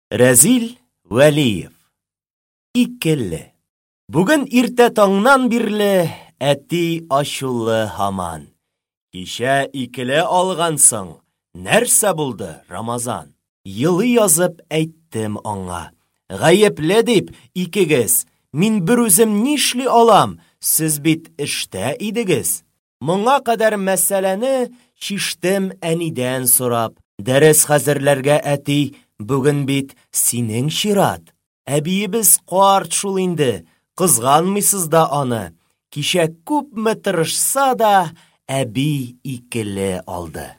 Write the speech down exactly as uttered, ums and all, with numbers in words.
Рәзил Вәлиев. Икеле. Бүген иртә таңнан бирле әти ачулы һаман. Кичә икеле алгансың, нәрсә булды, Рамазан? Елый язып әйттем аңа. Гаепле дип, икегез. Мин берүзем нишли алам, сез бит эштә идегез. Моңа кадәр мәсьәләне чиштем әнидән сорап. Дәрес хәзерләргә, әти, бүген бит синең чират. Әбиебез карт шул инде, кызганмыйсыз да аны. Кичә күпме тырышса да, әби икеле алды.